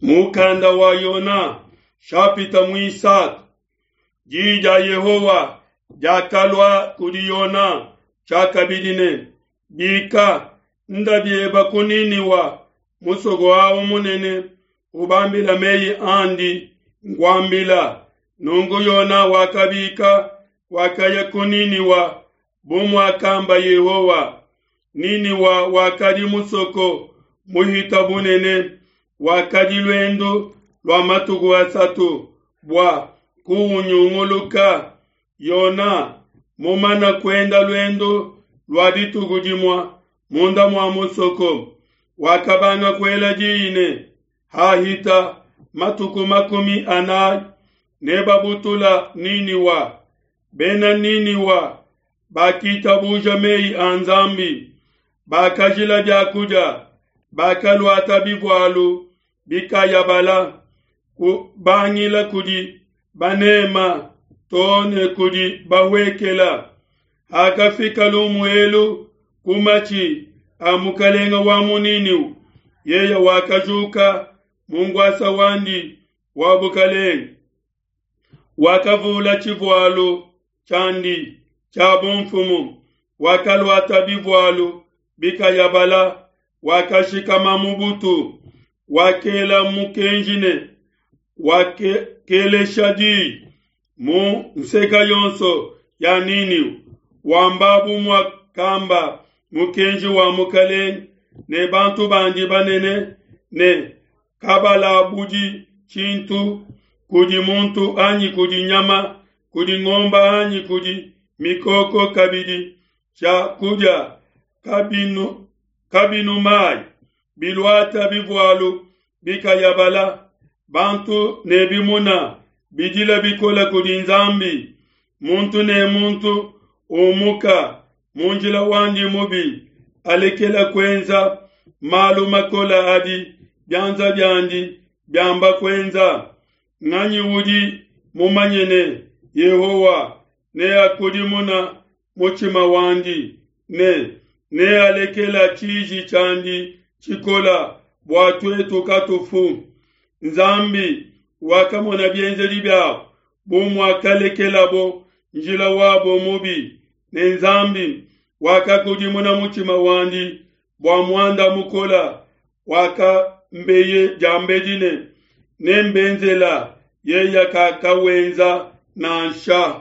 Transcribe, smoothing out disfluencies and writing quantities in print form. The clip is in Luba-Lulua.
Mukanda wa Yona shapita muisatu. Diyi dia Yehowa diakalua kudi Yona tshiakabidi ne, Bika, nda bieba ku Niniwa, musoko awu munene, ubambila meyi andi nkuambila. Nunku Yona wakabika, wakaya ku Niniwa bu muakamba Yehowa. Niniwa wakadi musoko muhita bunene, wakadi luendu lua matuku asatu bua kuunyunguluka. Yona mumana kuenda luendu lua dituku dimue munda mua musoko, wakabanga kuela diyi ne, Hahita matuku 40 nebabutula Niniwa. Bena Niniwa bakitabuja meyi a Nzambi, bakajila biakudia, bakaluata bivualu bikayabala, kubangila kudi banema too ne kudi bahuekela. Hakafika lumu elu ku matshi a mukalenga wa mu Niniwa, yeye wakajuka mu ngwasa wandi wa bukalenge, wakavula tshivualu tshiandi tshia bumfumu, wakaluata bivualu bikayabala, wakashikama mu butu, wakela mukenji ne wakelesha diyi mu nseka yonso ya Niniwa, wamba bu muakamba mukenji wa mukalenge ne bantu bandi banene ne kabalabudi tshintu kudi muntu anyi kudi nyama, kudi ngomba anyi kudi mikoko, kabidi tshia kudia kabinu, kabinu mayi, biluata bivualu bikayabala, bantu ne bimuna bidila bikola kudi Nzambi, muntu ne muntu umuka mu njila wandi mubi, alekela kuenza malu makola adi bianza biandi biamba kuenza. Nganyi udi mumanye ne Yehowa neakudimuna mutshima wandi ne nealekela tshiji tshiandi tshikola bua tuetu katufu? Nzambi wakamona bienzedi biabo bu muakalekelabo njila wabo mubi, ne Nzambi wakakudimuna mutshima wandi bua muanda mukola wakambeye diambedi ne, Nembenzela, yeye kakawenza nansha.